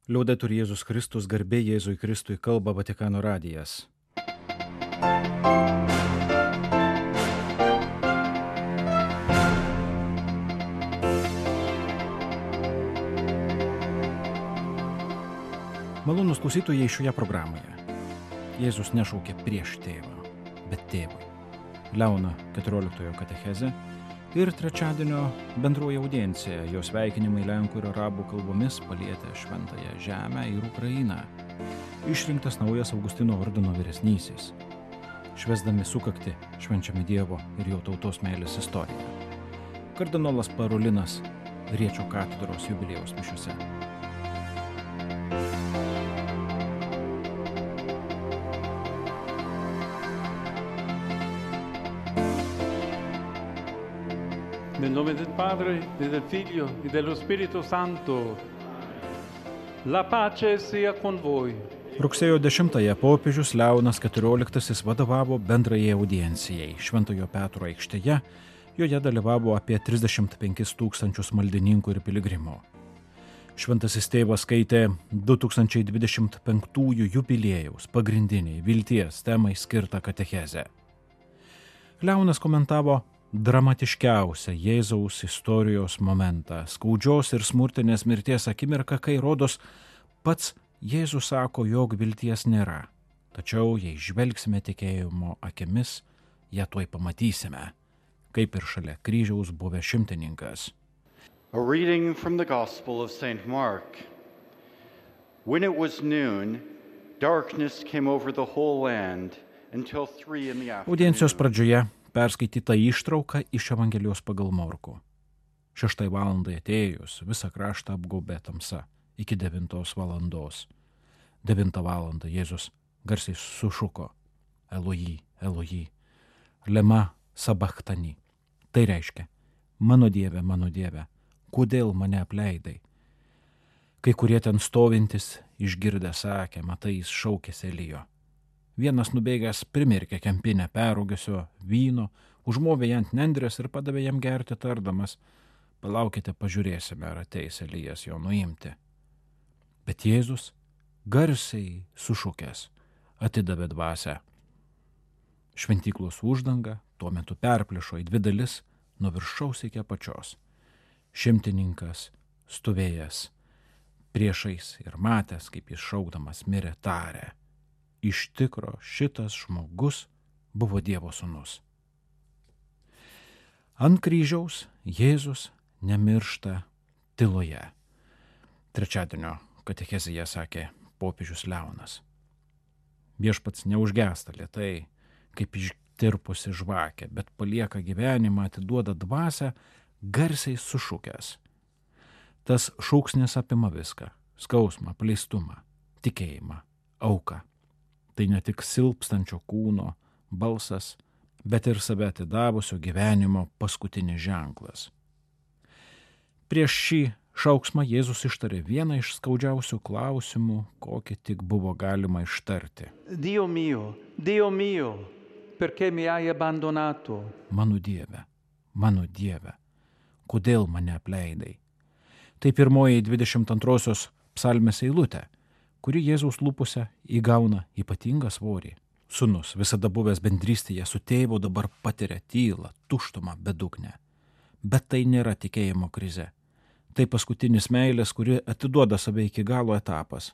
Liaudetur Jėzus Kristus, garbė Jėzui Kristui, kalba Vatikano radijas. Malonūs klausytojai šioje programoje. Jėzus nešaukė prieš tėvą, bet tėvui. Leono 14 katechezė ir trečiadienio bendroji audiencija, jos sveikinimai lenkų ir arabų kalbomis palietė šventąją žemę ir Ukrainą. Išrinktas naujas Augustino ordino vyresnysis. Švęsdami sukaktį švenčiame Dievo ir jo tautos meilės istoriją. Kardinolas Parolinas Riečio katedros jubiliejaus mišiose. Nel nome del Padre, e del Figlio, e dello Spirito Santo. La pace sia con voi. Rugsėjo 10-ąją popiežius Leonas XIV vadovavo bendrajai audiencijai Šventojo Petro aikštėje. Joje dalyvavo apie 35 000 maldininkų ir piligrimų. Šventasis tėvas skaitė 2025 jubiliejaus pagrindiniai vilties temai skirtą katechezę. Leonas komentavo dramatiškiausią Jėzaus istorijos momentą, skaudžios ir smurtinės mirties akimirką, kai rodos pats Jėzus sako, jog vilties nėra. Tačiau jei žvelgsime tikėjimo akimis, ją tuoj pamatysime, kaip ir šalia kryžiaus buvęs šimtininkas. A reading from the Gospel of St. Mark. When it was noon, darkness came over the whole land until 3 in the afternoon. Audiencijos pradžioje perskaityta ištrauka iš Evangelijos pagal Morkų. 6 valandai atėjus visą kraštą apgaubė tamsa iki 9 valandos. 9 valandą Jėzus garsiai sušuko: Elojį, Elojį, lema sabachtani. Tai reiškia: mano Dieve, kodėl mane apleidai? Kai kurie ten stovintis išgirdę sakė: matai, jis šaukėsi Elijo. Vienas nubėgęs primirkė kempinę perrūgusio vyno, užmovė ją ant nendrės ir padavė jam gerti, tardamas: palaukite, pažiūrėsime, ar ateis Elijas jo nuimti. Bet Jėzus garsiai sušukęs atidavė dvasią. Šventyklos uždanga tuo metu perplyšo į 2 dalis nuo viršaus iki apačios. Šimtininkas stovėjęs priešais ir matęs, kaip jis šaukdamas mirė, tarė: iš tikro šitas žmogus buvo Dievo sūnus. Ant kryžiaus Jėzus nemiršta tyloje. Trečiadienio katechezėje sakė popiežius Leonas. Viešpats neužgęsta lėtai, kaip ištirpusi žvakė, bet palieka gyvenimą, atiduoda dvasią, garsiai sušukęs. Tas šūksnis apima viską: skausmą, apleistumą, tikėjimą, auką. Tai ne tik silpstančio kūno balsas, bet ir save atidavusio gyvenimo paskutinis ženklas. Prieš šį šauksmą Jėzus ištarė vieną iš skaudžiausių klausimų, kokį tik buvo galima ištarti. Dio mio, perché mi hai abbandonato? Mano Dieve, kodėl mane apleidai? Tai pirmoji 22 psalmės eilutė, kuri Jėzaus lūpose įgauna ypatingą svorį. Sūnus, visada buvęs bendrystėje su tėvu, dabar patiria tylą, tuštumą, bedugnę. Bet tai nėra tikėjimo krize. Tai paskutinis meilės, kuri atiduoda save iki galo etapas.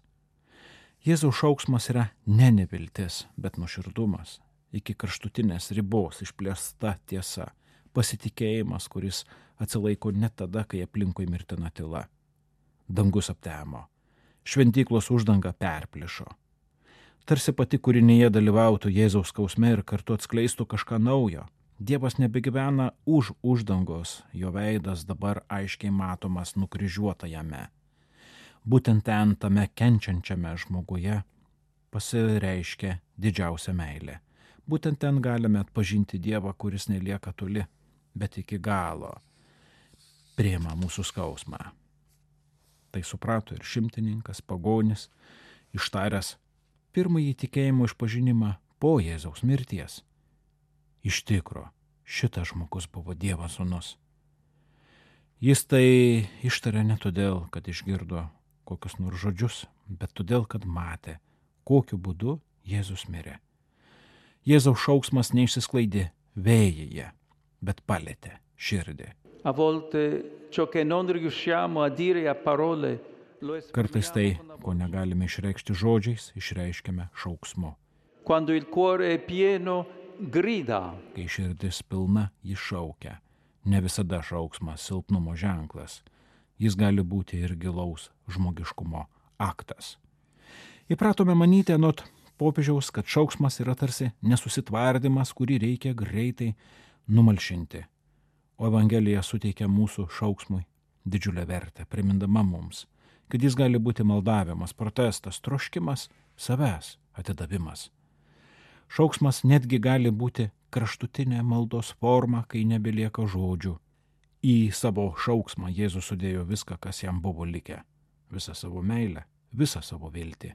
Jėzaus šauksmas yra ne neviltis, bet nuoširdumas, iki kraštutinės ribos išplėsta tiesa, pasitikėjimas, kuris atsilaiko net tada, kai aplinkui mirtina tyla. Dangus aptemo. Šventyklos uždanga perplyšo. Tarsi pati kūrinyje dalyvautų Jėzaus skausme ir kartu atskleistų kažką naujo. Dievas nebegyvena už uždangos, jo veidas dabar aiškiai matomas nukryžiuotajame. Būtent ten, tame kenčiančiame žmoguje, pasireiškia didžiausia meilė. Būtent ten galime atpažinti Dievą, kuris nelieka toli, bet iki galo priima mūsų skausmą. Tai suprato ir šimtininkas, pagonis, ištaręs pirmąjį tikėjimo išpažinimą po Jėzaus mirties. Iš tikro, šitas žmogus buvo Dievo sūnus. Jis tai ištarė ne todėl, kad išgirdo kokius nors žodžius, bet todėl, kad matė, kokiu būdu Jėzus mirė. Jėzaus šauksmas neišsisklaidė vėjyje, bet palėtė širdį. A volte ciò che non riusciamo a dire a parole lo Kartais tai, esprimiamo con ko negalime išreikšti žodžiais, išreiškiame šauksmu. Quando il cuore è pieno, grida. Kai širdis pilna, jis šaukia. Ne visada šauksmas silpnumo ženklas. Jis gali būti ir gilaus žmogiškumo aktas. Įpratome manyti anot popiežiaus, kad šauksmas yra tarsi nesusitvardymas, kurį reikia greitai numalšinti. O Evangelija suteikia mūsų šauksmui didžiulę vertę, primindama mums, kad jis gali būti maldavimas, protestas, troškimas, savęs atidavimas. Šauksmas netgi gali būti kraštutinė maldos forma, kai nebelieka žodžių. Į savo šauksmą Jėzus sudėjo viską, kas jam buvo likę, visą savo meilę, visą savo viltį.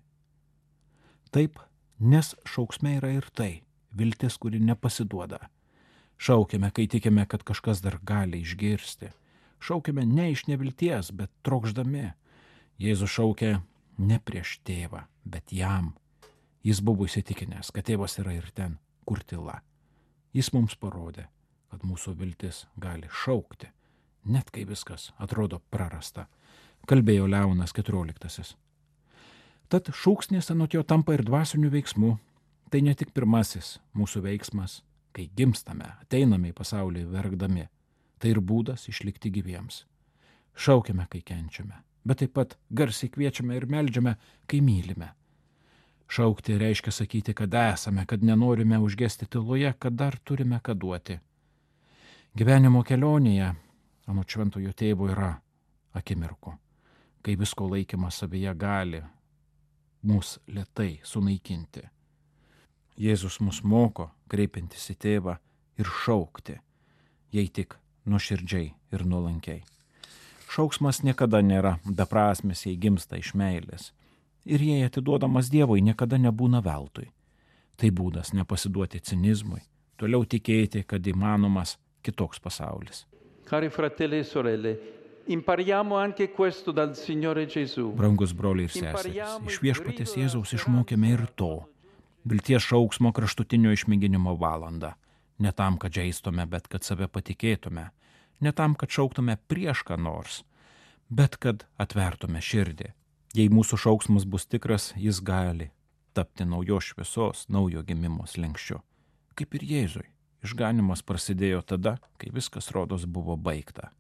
Taip, nes šauksme yra ir tai, viltis, kuri nepasiduoda. Šaukiame, kai tikime, kad kažkas dar gali išgirsti. Šaukiame ne iš nevilties, bet trokšdami. Jėzus šaukia ne prieš tėvą, bet jam. Jis buvo įsitikinęs, kad tėvas yra ir ten, kur tyla. Jis mums parodė, kad mūsų viltis gali šaukti, net kai viskas atrodo prarasta, kalbėjo Leonas XIV. Tad šūksnis anot jo tampa ir dvasiniu veiksmu. Tai ne tik pirmasis mūsų veiksmas, kai gimstame, ateiname į pasaulį verkdami. Tai ir būdas išlikti gyviems. Šaukiame, kai kenčiame, bet taip pat garsiai kviečiame ir meldžiame, kai mylime. Šaukti reiškia sakyti, kad esame, kad nenorime užgesti tyloje, kad dar turime ką duoti. Gyvenimo kelionėje, anot šventojo tėvo, yra akimirkų, kai visko laikymas savyje gali mus lėtai sunaikinti. Jėzus mus moko, kreipintis į tėvą ir šaukti, jei tik nuoširdžiai ir nuolankiai. Šauksmas niekada nėra beprasmis, jei gimsta iš meilės. Ir jei atiduodamas Dievui, niekada nebūna veltui. Tai būdas nepasiduoti cinizmui, toliau tikėti, kad įmanomas kitoks pasaulis. Cari fratelli e sorelle, impariamo anche questo dal Signore Gesù. Brangus broliai ir seserys, iš Viešpaties Jėzaus išmokėme ir to. Vilties šauksmo kraštutinio išmėginimo valandą. Ne tam, kad žeistume, bet kad save patikėtume. Ne tam, kad šauktume prieš ką nors, bet kad atvertume širdį. Jei mūsų šauksmas bus tikras, jis gali tapti naujos šviesos, naujo gimimo slenksčiu. Kaip ir Jėzui, išganimas prasidėjo tada, kai viskas rodos buvo baigta.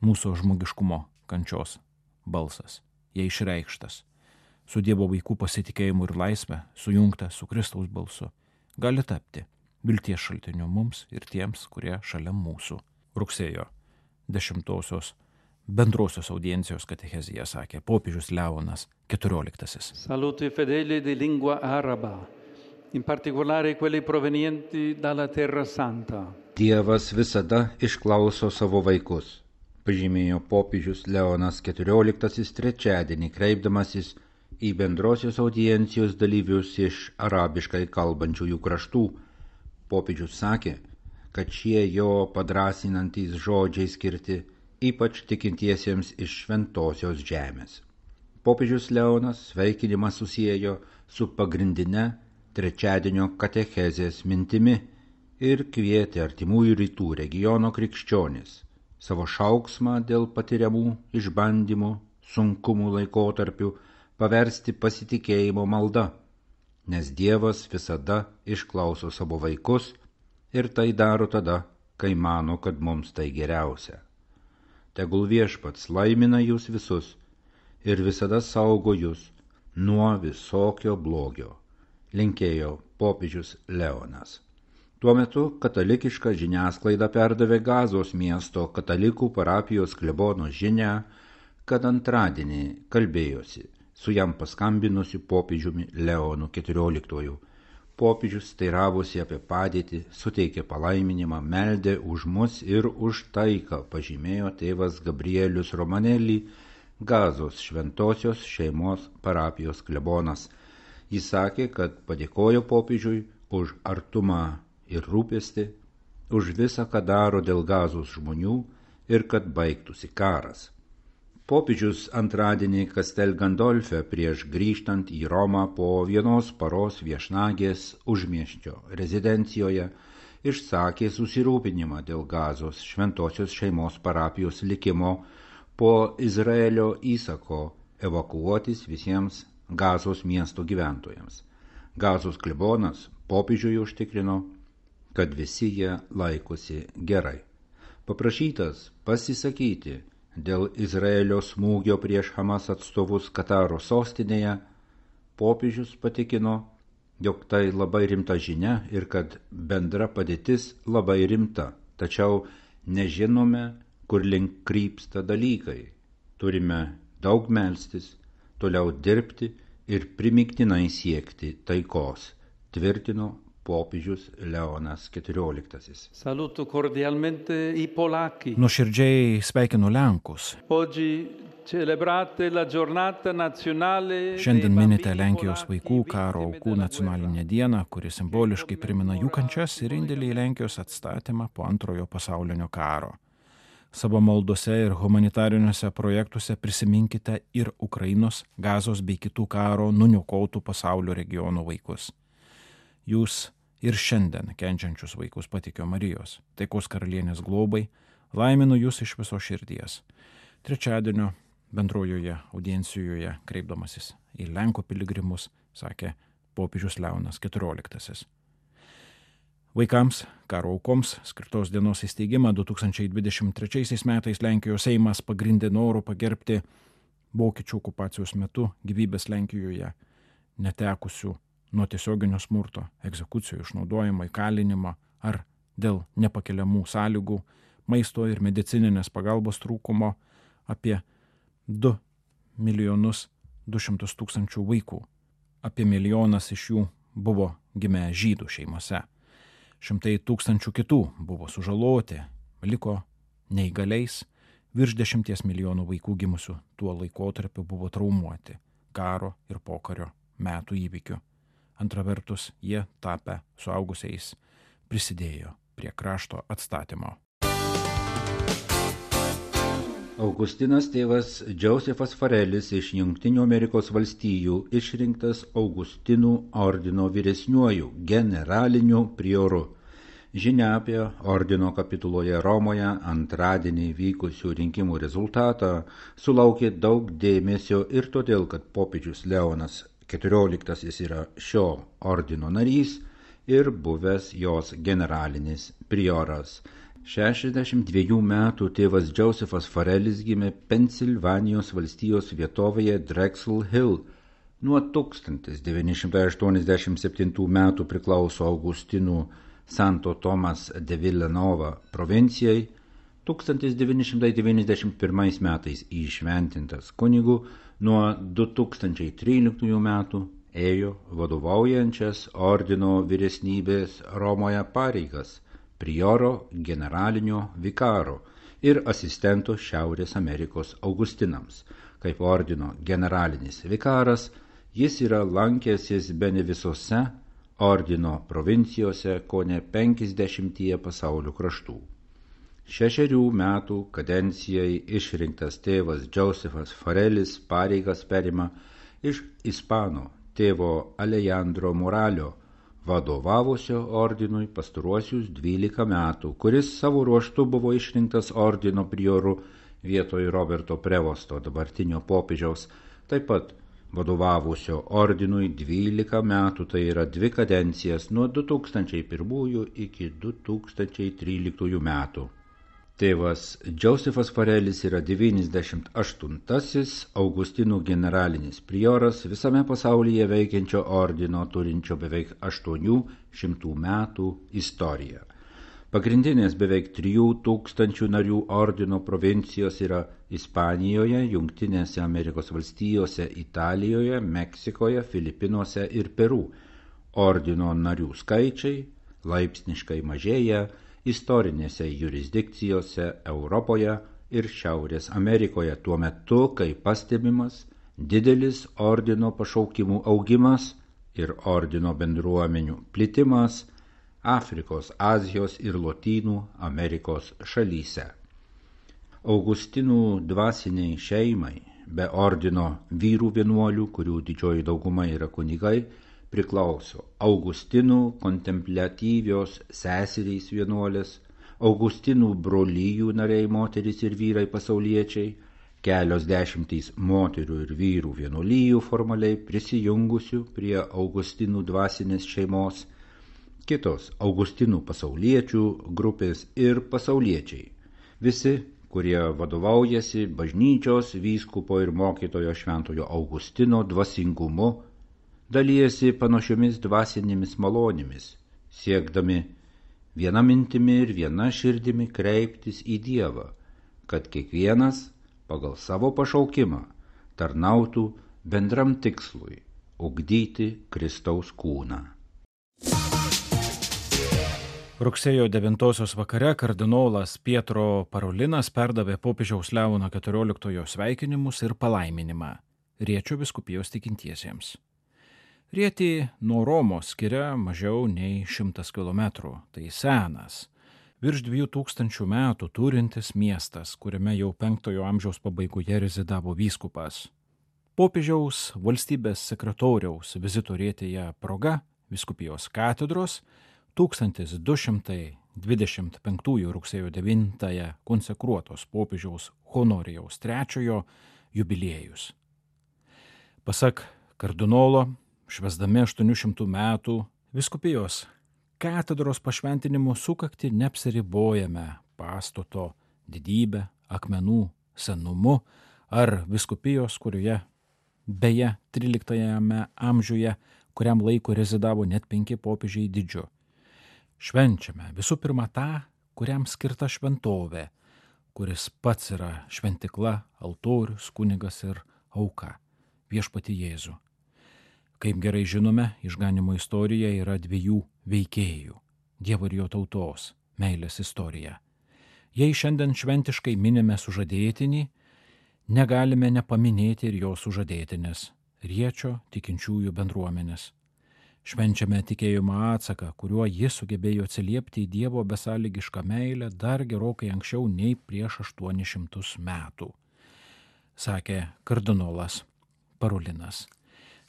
Mūsų žmogiškumo kančios balsas, jei išreikštas, su Dievo vaikų pasitikėjimu ir laisvė, sujungta su Kristaus balsu, gali tapti vilties šaltiniu mums ir tiems, kurie šalia mūsų. Rugsėjo 10 bendrosios audiencijos katechezija sakė popiežius Leonas XIV. Saluto i fedeli di lingua araba, in particolare quelli provenienti dalla Terra Santa. Dievas visada išklauso savo vaikus, pažymėjo popiežius Leonas XIV trečiadienį, kreipdamasis į bendrosios audiencijos dalyvius iš arabiškai kalbančiųjų kraštų. Popiežius sakė, kad šie jo padrasinantys žodžiai skirti ypač tikintiesiems iš šventosios žemės. Popiežius Leonas sveikinimą susiejo su pagrindine trečiadienio katechezės mintimi ir kvietė artimųjų rytų regiono krikščionis savo šauksmą dėl patiriamų išbandymų, sunkumų laikotarpių paversti pasitikėjimo malda, nes Dievas visada išklauso savo vaikus ir tai daro tada, kai mano, kad mums tai geriausia. Tegul Viešpats laimina jūs visus ir visada saugo jūs nuo visokio blogio, linkėjo popiežius Leonas. Tuo metu katalikiška žiniasklaida perdavė Gazos miesto katalikų parapijos klebono žinią, kad antradienį kalbėjosi su jam paskambinusiu popiežiumi Leonu XIV. Popiežius teiravosi apie padėtį, suteikė palaiminimą, meldė už mus ir už taiką, pažymėjo tėvas Gabrielius Romanelli, Gazos šventosios šeimos parapijos klebonas. Jis sakė, kad padėkojo popiežiui už artumą ir rūpestį, už visą, ką daro dėl Gazos žmonių ir kad baigtųsi karas. Popiežius antradienį Castel Gandolfe prieš grįžtant į Romą po vienos paros viešnagės užmiesčio rezidencijoje išsakė susirūpinimą dėl Gazos šventosios šeimos parapijos likimo po Izraelio įsako evakuotis visiems Gazos miesto gyventojams. Gazos klebonas popiežiui užtikrino, kad visi jie laikosi gerai. Paprašytas pasisakyti dėl Izraelio smūgio prieš Hamas atstovus Kataro sostinėje, popiežius patikino, jog tai labai rimta žinia ir kad bendra padėtis labai rimta, tačiau nežinome, kur link krypsta dalykai. Turime daug melstis, toliau dirbti ir primygtinai siekti taikos, tvirtino popiežius Leonas XIV. Saluto cordialmente I polacchi. Nuoširdžiai sveikinu Lenkus. Oggi celebrate la giornata nazionale. Šiandien minite Lenkijos vaikų karo aukų nacionalinę dieną, kuri simboliškai primena jų kančias ir indėlį į Lenkijos atstatymą po Antrojo pasaulinio karo. Savo maldose ir humanitariniuose projektuose prisiminkite ir Ukrainos, Gazos bei kitų karo nuniokotų pasaulio regionų vaikus. Jūs ir šiandien kenčiančius vaikus patikio Marijos, taikos karalienės globai, laiminu jūs iš viso širdies. Trečiadienio bendrojoje audiencijoje kreipdamasis į Lenkų piligrimus, sakė popiežius Leonas XIV. Vaikams, karo aukoms skirtos dienos įsteigimą 2023 metais Lenkijos Seimas pagrindė noru pagerbti vokiečių okupacijos metu gyvybės Lenkijoje netekusių nuo tiesioginio smurto, egzekucijų, išnaudojimo, įkalinimo ar dėl nepakeliamų sąlygų, maisto ir medicininės pagalbos trūkumo apie 2 200 000 vaikų. Apie 1 milijonas iš jų buvo gimę žydų šeimose. 100 000 kitų buvo sužaloti, liko neįgaliais, virš 10 milijonų vaikų gimusių tuo laikotarpiu buvo traumuoti karo ir pokario metų įvykių. Antra vertus, jie tapę suaugusiais prisidėjo prie krašto atstatymo. Augustinas tėvas Džozefas Farelis iš Jungtinių Amerikos valstijų išrinktas Augustinų ordino vyresniuoju generaliniu prioru. Žinia apie ordino kapituloje Romoje antradienį vykusių rinkimų rezultatą sulaukė daug dėmesio ir todėl, kad popiežius Leonas XIV yra šio ordino narys ir buvęs jos generalinis prioras. 62 metų tėvas Džozefas Farelis gimė Pensilvanijos valstijos vietovėje Drexel Hill. Nuo 1987 metų priklauso Augustinų Santo Tomas de Villanova provincijai, 1991 metais įšventintas kunigu, nuo 2013 metų ėjo vadovaujančias ordino vyresnybės Romoje pareigas, prioro generalinio vikaro ir asistento Šiaurės Amerikos Augustinams. Kaip ordino generalinis vikaras, jis yra lankęsis bene visose ordino provincijose kone 50 pasaulio kraštų. 6 metų kadencijai išrinktas tėvas Džozefas Farelis pareigas perima iš ispano tėvo Alejandro Moralio, vadovavusio ordinui pastaruosius 12 metų, kuris savo ruožtu buvo išrinktas ordino prioru vietoj Roberto Prevosto, dabartinio popiežiaus, taip pat vadovavusio ordinui 12 metų, tai yra 2 kadencijas nuo 2001 iki 2013 metų. Tėvas Džozefas Farelis yra 98-asis Augustinų generalinis prioras visame pasaulyje veikiančio ordino turinčio beveik 800 metų istoriją. Pagrindinės beveik 3000 narių ordino provincijos yra Ispanijoje, Jungtinėse Amerikos valstijose, Italijoje, Meksikoje, Filipinuose ir Peru. Ordino narių skaičiai laipsniškai mažėja istorinėse jurisdikcijose Europoje ir Šiaurės Amerikoje, tuo metu, kai pastebimas didelis ordino pašaukimų augimas ir ordino bendruomenių plitimas Afrikos, Azijos ir Lotynų Amerikos šalyse. Augustinų dvasiniai šeimai, be ordino vyrų vienuolių, kurių didžioji dauguma yra kunigai, priklauso Augustinų kontempliatyvios seserys vienuolės, Augustinų brolyjų nariai moterys ir vyrai pasauliečiai, kelios dešimtys moterų ir vyrų vienuolijų formaliai prisijungusių prie Augustinų dvasinės šeimos, kitos Augustinų pasauliečių grupės ir pasauliečiai, visi, kurie vadovaujasi bažnyčios, vyskupo ir mokytojo šventojo Augustino dvasingumu, dalyjasi panašiomis dvasinėmis malonėmis, siekdami viena mintimi ir viena širdimi kreiptis į Dievą, kad kiekvienas pagal savo pašaukimą tarnautų bendram tikslui – ugdyti Kristaus kūną. Rugsėjo 9 vakare kardinolas Pietro Parolinas perdavė popiežiaus Leono XIV sveikinimus ir palaiminimą Riečio vyskupijos tikintiesiems. Rietį nuo Romos skiria mažiau nei 100 kilometrų, tai senas, virš 2000 metų turintis miestas, kuriame jau 5 amžiaus pabaigoje rezidavo vyskupas. Popiežiaus valstybės sekretoriaus vizito Rietėje proga vyskupijos katedros 1225 rugsėjo 9 konsekruotos popiežiaus Honorijaus III jubiliejus. Pasak kardinolo, švęsdami 800 metų vyskupijos katedros pašventinimo sukaktį neapsiribojame pastato didybę, akmenų senumu ar vyskupijos, kurioje beje 13 amžiuje kuriam laiku rezidavo net 5 popiežiai didžiu. Švenčiame visų pirma tą, kuriam skirta šventovė, kuris pats yra šventikla, altorius, kunigas ir auka, viešpatį Jėzų. Kaip gerai žinome, išganymo istorija yra 2 veikėjų – Dievo ir jo tautos, meilės istorija. Jei šiandien šventiškai minime sužadėtinį, negalime nepaminėti ir jo sužadėtinės – Riečio tikinčiųjų bendruomenės. Švenčiame tikėjimo atsaką, kuriuo jis sugebėjo atsiliepti į Dievo besąlygišką meilę dar gerokai anksčiau nei prieš 800 metų, sakė kardinolas Parolinas.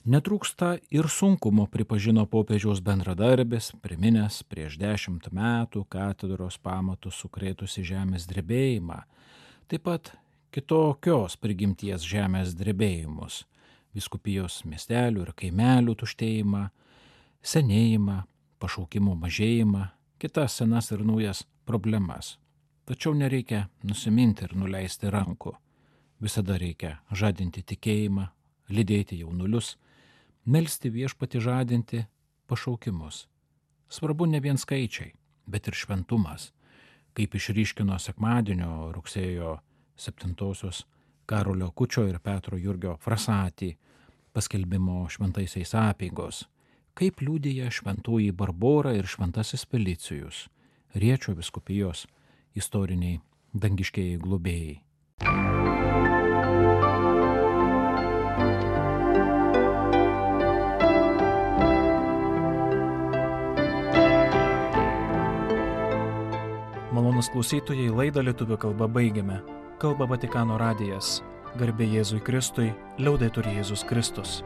Netrūksta ir sunkumo, pripažino popiežiaus bendradarbis, priminęs prieš 10 metų katedros pamatus sukrėtusi žemės drebėjimą, taip pat kitokios prigimties žemės drebėjimus, vyskupijos miestelių ir kaimelių tuštėjimą, senėjimą, pašaukimų mažėjimą, kitas senas ir naujas problemas. Tačiau nereikia nusiminti ir nuleisti rankų. Visada reikia žadinti tikėjimą, lydėti jaunulius, melsti viešpatį žadinti pašaukimus. Svarbu ne vien skaičiai, bet ir šventumas, kaip išryškino sekmadienio rugsėjo 7 Karolio Kučio ir Petro Jurgio Frasatį paskelbimo šventaisiais apeigos, kaip liudija šventoji Barbora ir šventasis Felicijus, Riečio vyskupijos istoriniai dangiškieji globėjai. Malonūs klausytojai, laidą lietuvių kalba baigiame. Kalba Vatikano radijas. Garbė Jėzui Kristui, liaudetur Jėzus Kristus.